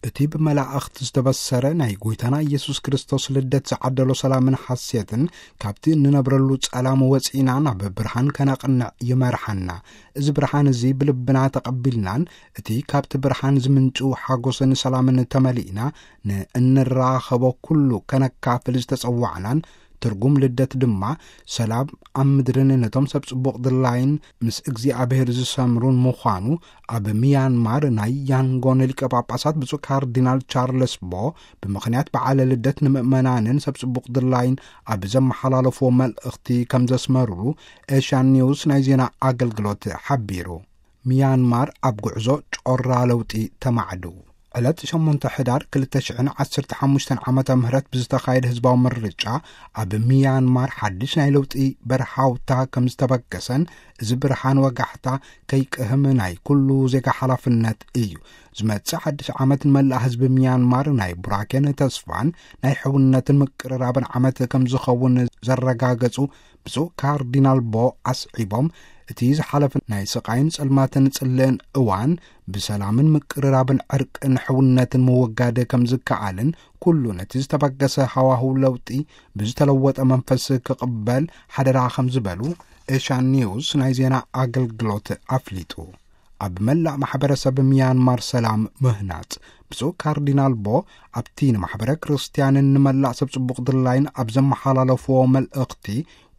እቲ ብመላእኽት ዝተበሰረ ናይ ጎይታና ኢየሱስ ክርስቶስ ልደት ዝዓደሎ ሰላምን ሓሴትን፣ ካብቲ እንነብረሉ ጸላም ወጺእና ናብ ብርሃን ከነቕንዕ ይመርሓና። እዚ ብርሃን እዚ ብልብና ተቐቢልናን፣ እቲ ካብቲ ብርሃን ዝምንጩ ሓጎስን ሰላምን ተመሊእና፣ ንእንራኸቦ ኩሉ ከነካፍል ዝተጸዋዕናን፣ ትርጉም ልደት ድማ ሰላም ኣብ ምድርን ነቶም ሰብ ጽቡቕ ድላይን ምስ እግዚኣብሔር ዝሰምሩን ምዃኑ፣ ኣብ ሚያንማር ናይ ያንጎን ሊቀ ጳጳሳት ብፁዕ ካርዲናል ቻርለስ ቦ ብምኽንያት በዓለ ልደት ንምእመናንን ሰብ ጽቡቕ ድላይን ኣብ ዘመሓላለፍዎ መልእኽቲ ከም ዘስመሩሉ ኤሽያን ኒውስ ናይ ዜና ኣገልግሎት ሓቢሩ። ሚያንማር ኣብ ጉዕዞ ጮራ ለውጢ ተማዕዱ። ዕለት ሸሞንተ ሕዳር ክልተ ሽሕን ዓሰርተ ሓሙሽተን ዓመተ ምህረት ብዝተኻየደ ህዝባዊ ምርጫ፣ ኣብ ሚያንማር ሓድሽ ናይ ለውጢ በርሃውታ ከም ዝተበገሰን፣ እዚ ብርሃን ወጋሕታ ከይቅህም ናይ ኩሉ ዜጋ ሓላፍነት እዩ። ዝመጽእ ሓድሽ ዓመት ንመላእ ህዝቢ ሚያንማር ናይ ቡራኬን ተስፋን ናይ ሕውነትን ምቅርራብን ዓመት ከም ዝኸውን ዘረጋገጹ ብፁዕ ካርዲናል ቦ ኣስዒቦም፣ እቲ ዝሓለፈ ናይ ስቓይን ጸልማትን ጽልእን እዋን ብሰላምን ምቅርራብን ዕርቅን ሕውነትን ምውጋድ ከም ዝከኣልን፣ ኩሉ ነቲ ዝተበገሰ ሃዋህው ለውጢ ብዝተለወጠ መንፈስ ክቕበል ሓደራ ከም ዝበሉ ኤሽያን ኒውስ ናይ ዜና ኣገልግሎት ኣፍሊጡ። ኣብ መላእ ማሕበረሰብ ሚያንማር ሰላም ምህናጽ። ብፁዕ ካርዲናል ቦ ኣብቲ ንማሕበረ ክርስትያንን ንመላእ ሰብ ጽቡቕ ድላይን ኣብ ዘመሓላለፍዎ መልእኽቲ፣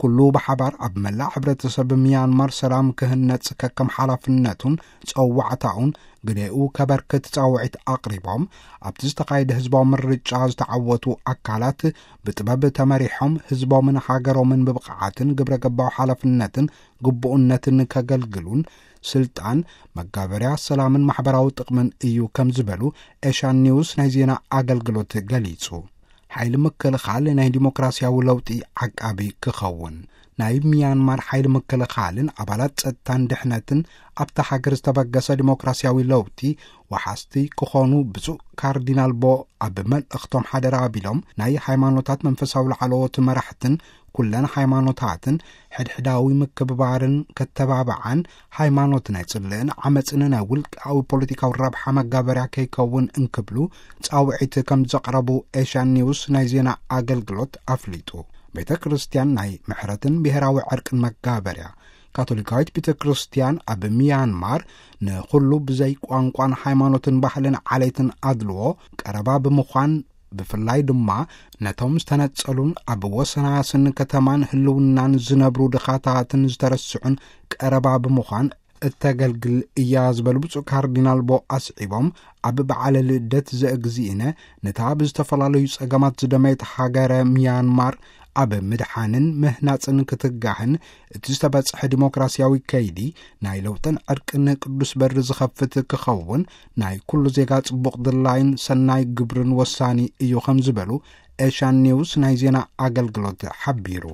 ኩሉ ብሓባር ኣብ መላእ ሕብረተሰብ ሚያንማር ሰላም ክህነጽ ከከም ሓላፍነቱን ጸዋዕታኡን ግዴኡ ከበርክት ጻውዒት ኣቕሪቦም፣ ኣብቲ ዝተኻየደ ህዝባዊ ምርጫ ዝተዓወቱ ኣካላት ብጥበብ ተመሪሖም ህዝቦምን ሃገሮምን ብብቕዓትን ግብረ ገባዊ ሓላፍነትን ግቡእነትን ከገልግሉን፣ ስልጣን መጋበርያ ሰላምን ማሕበራዊ ጥቕምን እዩ ከም ዝበሉ ኤሽያን ኒውስ ናይ ዜና ኣገልግሎት ገሊጹ። ሓይሊ ምክልኻል ናይ ዲሞክራሲያዊ ለውጢ ዓቃቢ ክኸውን። ናይ ሚያንማር ሓይሊ ምክልኻልን ኣባላት ጸጥታን ድሕነትን ኣብታ ሃገር ዝተበገሰ ዲሞክራሲያዊ ለውጢ ወሓስቲ ክኾኑ ብፁዕ ካርዲናል ቦ ኣብ መልእኽቶም ሓደራ ኣቢሎም፣ ናይ ሃይማኖታት መንፈሳዊ ላዕለዎት መራሕትን ኩለን ሃይማኖታትን ሕድሕዳዊ ምክብባርን ከተባብዓን፣ ሃይማኖት ናይ ጽልእን ዓመጽን ናይ ውልቃዊ ፖለቲካዊ ረብሓ መጋበርያ ከይከውን እንክብሉ ጻውዒት ከም ዘቕረቡ ኤሽያን ኒውስ ናይ ዜና ኣገልግሎት ኣፍሊጡ። ቤተ ክርስቲያን ናይ ምሕረትን ብሔራዊ ዕርቅን መጋበርያ። ካቶሊካዊት ቤተ ክርስቲያን ኣብ ሚያንማር ንኹሉ ብዘይ ቋንቋን ሃይማኖትን ባህልን ዓሌትን ኣድልዎ ቀረባ ብምዃን፣ ብፍላይ ድማ ነቶም ዝተነጸሉን ኣብ ወሰናስን ከተማን ህልውናን ዝነብሩ ድኻታትን ዝተረስዑን ቀረባ ብምዃን እተገልግል እያ ዝበሉ ብፁዕ ካርዲናል ቦ ኣስዒቦም፣ ኣብ በዓለ ልደት ዘእግዚእነ ነታ ብዝተፈላለዩ ጸገማት ዝደመየት ሃገረ ሚያንማር ኣብ ምድሓንን ምህናጽን ክትጋህን፣ እቲ ዝተበጽሐ ዲሞክራሲያዊ ከይዲ ናይ ለውጥን ዕርቅን ቅዱስ በሪ ዝኸፍት ክኸውን ናይ ኩሉ ዜጋ ጽቡቕ ድላይን ሰናይ ግብርን ወሳኒ እዩ ከም ዝበሉ ኤሽያን ኒውስ ናይ ዜና ኣገልግሎት ሓቢሩ።